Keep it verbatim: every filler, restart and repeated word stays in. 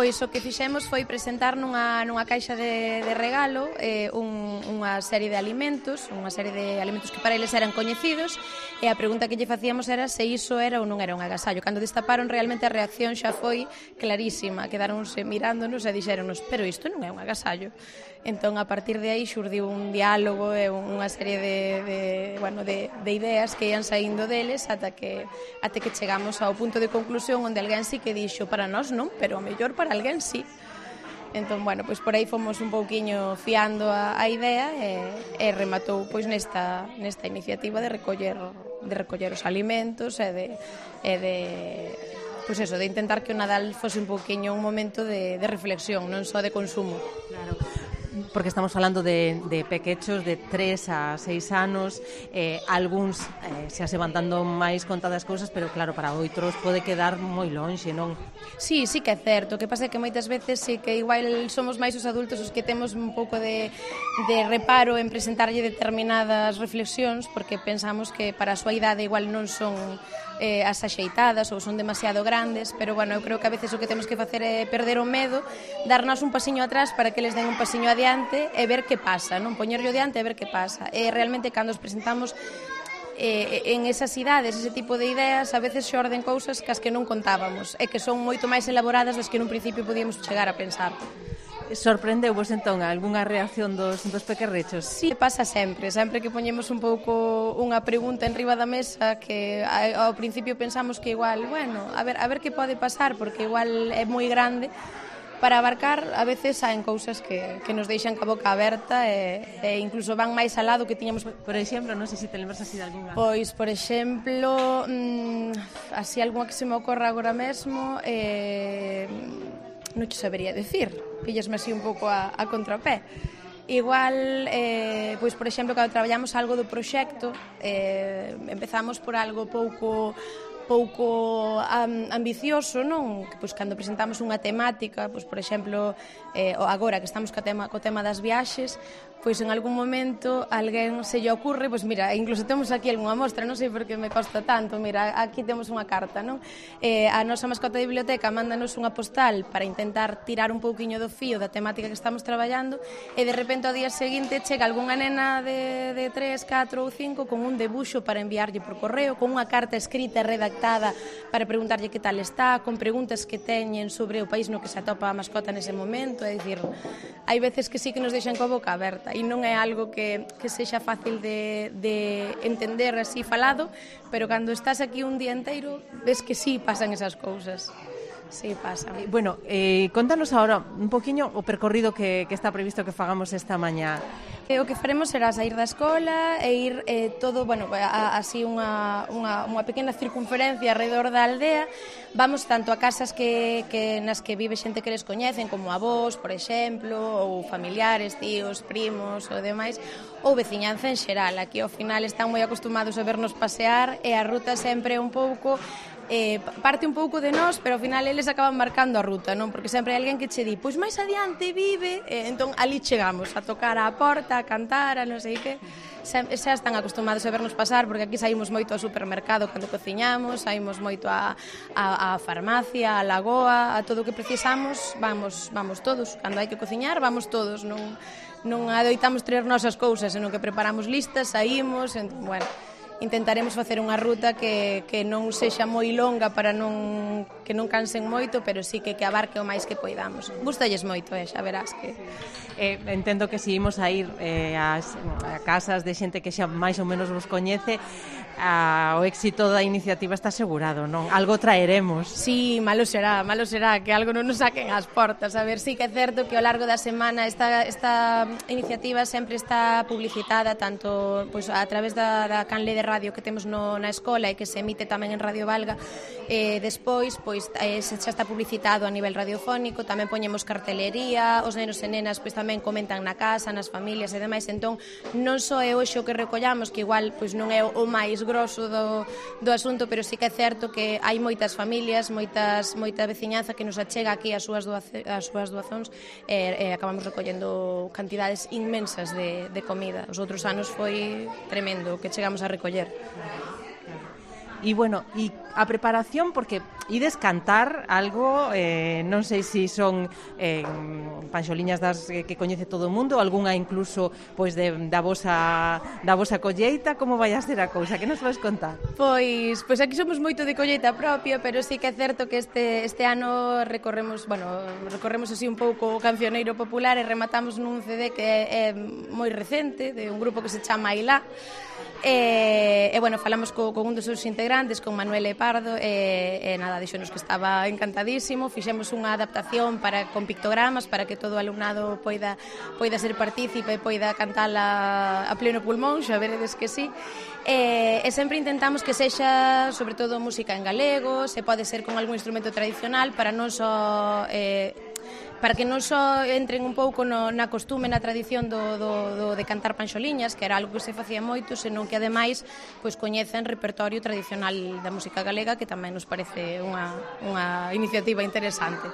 Pois o que fixemos foi presentar nunha, nunha caixa de, de regalo eh, un, unha serie de alimentos, unha serie de alimentos que para eles eran coñecidos, e a pregunta que lle facíamos era se iso era ou non era un agasallo. Cando destaparon, realmente a reacción xa foi clarísima, quedaronse mirándonos e dixéronos, pero isto non é un agasallo. Entón, a partir de aí xurdiu un diálogo e unha serie de, de, bueno, de, de ideas que ian saindo deles ata que, ata que chegamos ao punto de conclusión onde alguén sí que dixo, para nós non, pero o mellor para alguén sí. Entón, bueno, pois por aí fomos un pouquiño fiando a, a idea e, e rematou pois nesta, nesta iniciativa de recoller, de recoller os alimentos e de, e de pois eso, de intentar que o Nadal fose un pouquiño un momento de, de reflexión, non só de consumo. Claro. Porque estamos falando de, de pequechos de tres a seis anos, eh, algúns eh, xa se van dando máis conta das cousas, pero claro, para outros pode quedar moi lonxe, non? Sí, sí que é certo, o que pasa é que moitas veces sí que igual somos máis os adultos os que temos un pouco de, de reparo en presentarlle determinadas reflexións, porque pensamos que para a súa idade igual non son eh, as axeitadas ou son demasiado grandes, pero bueno, eu creo que a veces o que temos que facer é perder o medo, darnos un pasiño atrás para que les den un pasiño adiante e ver que pasa, non poñerlo adiante e ver que pasa. E realmente cando os presentamos eh, en esas idades, ese tipo de ideas, a veces xorden cousas que as que non contábamos e que son moito máis elaboradas das que nun principio podíamos chegar a pensar. Sorprendeu-vos entón algunha reacción dos, dos pequerrechos? Sí, pasa sempre, sempre que poñemos un pouco unha pregunta en riba da mesa que ao principio pensamos que igual, bueno, a ver, a ver que pode pasar, porque igual é moi grande para abarcar, a veces saen cousas que, que nos deixan ca boca aberta e, e incluso van máis al lado que tiñamos. Por exemplo, non sei se te lembras así de algunha. Pois, por exemplo, mmm, así algunha que se me ocorra agora mesmo, eh, non te sabería decir, pillasme así un pouco a, a contrapé. Igual, eh, pois, por exemplo, cando traballamos algo do proxecto, eh, empezamos por algo pouco pouco um, ambicioso, non? Pois cando presentamos unha temática, pois por exemplo, eh, agora que estamos co tema, co tema das viaxes, pois en algún momento alguén se lle ocurre, pois mira, incluso temos aquí algunha mostra, non sei por que me costa tanto, mira, aquí temos unha carta, non? Eh, a nosa mascota de biblioteca mándanos unha postal para intentar tirar un pouquiño do fío da temática que estamos traballando e de repente ao día seguinte chega algunha nena de, de tres, catro ou cinco con un debuxo para enviarlle por correo, con unha carta escrita e redactada para preguntarlle que tal está, con preguntas que teñen sobre o país no que se atopa a mascota nese momento, é dicir, hai veces que sí que nos deixan coa boca aberta e non é algo que, que sexa fácil de, de entender así falado, pero cando estás aquí un día inteiro ves que sí pasan esas cousas. Sí, pasa. Bueno, eh, contanos agora un poquinho o percorrido que, que está previsto que fagamos esta mañá. O que faremos será sair da escola e ir eh, todo, bueno, a, así unha, unha, unha pequena circunferencia alrededor da aldea. Vamos tanto a casas que, que nas que vive xente que les coñecen, como avós, por exemplo, ou familiares, tíos, primos ou demais, ou veciñanza en xeral. Aquí ao final están moi acostumados a vernos pasear e a ruta sempre é un pouco eh, parte un pouco de nós, pero ao final eles acaban marcando a ruta, non? Porque sempre hai alguén que che di, pois máis adiante vive, e entón ali chegamos a tocar a porta, a cantar, a non sei que. Xa, xa están acostumados a vernos pasar, porque aquí saímos moito ao supermercado cando cociñamos, saímos moito a, a, a farmacia, a lagoa, a todo o que precisamos, vamos, vamos todos. Cando hai que cociñar, vamos todos, non, non adoitamos traer nosas cousas, senón que preparamos listas, saímos, entón, bueno, intentaremos facer unha ruta que, que non sexa moi longa para non que non cansen moito, pero sí que que abarque o máis que poidamos. Gústalles moito, eh, xa verás que eh, entendo que se imos a ir eh, ás, a casas de xente que xa máis ou menos vos coñece, a, o éxito da iniciativa está asegurado, non? Algo traeremos. Sí, malo será, malo será que algo non nos saquen ás portas. A ver, sí que é certo que ao largo da semana esta, esta iniciativa sempre está publicitada tanto pois, a través da, da canle de radio que temos no, na escola e que se emite tamén en Radio Valga. Eh, despois, pois, eh, xa está publicitado a nivel radiofónico, tamén poñemos cartelería, os nenos e nenas pois, tamén comentan na casa, nas familias e demais, entón non só é hoxe o que recollamos, que igual pois, non é o máis grosso do, do asunto, pero sí que é certo que hai moitas familias, moitas, moita veciñanza que nos achega aquí as súas, doace, as súas doazóns e, e acabamos recollendo cantidades inmensas de, de comida. Os outros anos foi tremendo o que chegamos a recoller. E bueno, e a preparación, porque ides cantar algo, eh, non sei se son eh, panxoliñas das eh, que coñece todo o mundo, algunha incluso pois de, da vosa da vosa colleita, como vai a ser a cousa? Que nos vais contar? Pois, pois aquí somos moito de colleita propia, pero sí que é certo que este, este ano recorremos, bueno, recorremos así un pouco o cancioneiro popular e rematamos nun C D que é, é moi recente, de un grupo que se chama Ailá. E, e bueno, falamos co, con un dos seus integrantes, con Manuel Pardo, e, e nada, dixonos que estaba encantadísimo. Fixemos unha adaptación para con pictogramas para que todo o alumnado poida poida ser partícipe e poida cantala a pleno pulmón, xa veredes que sí. E, e sempre intentamos que sexa sobre todo música en galego, se pode ser con algún instrumento tradicional para non só eh, para que non só entren un pouco no, na costume, na tradición do, do, do de cantar panxoliñas, que era algo que se facía moito, senón que ademais pois coñecen repertorio tradicional da música galega, que tamén nos parece unha, unha iniciativa interesante.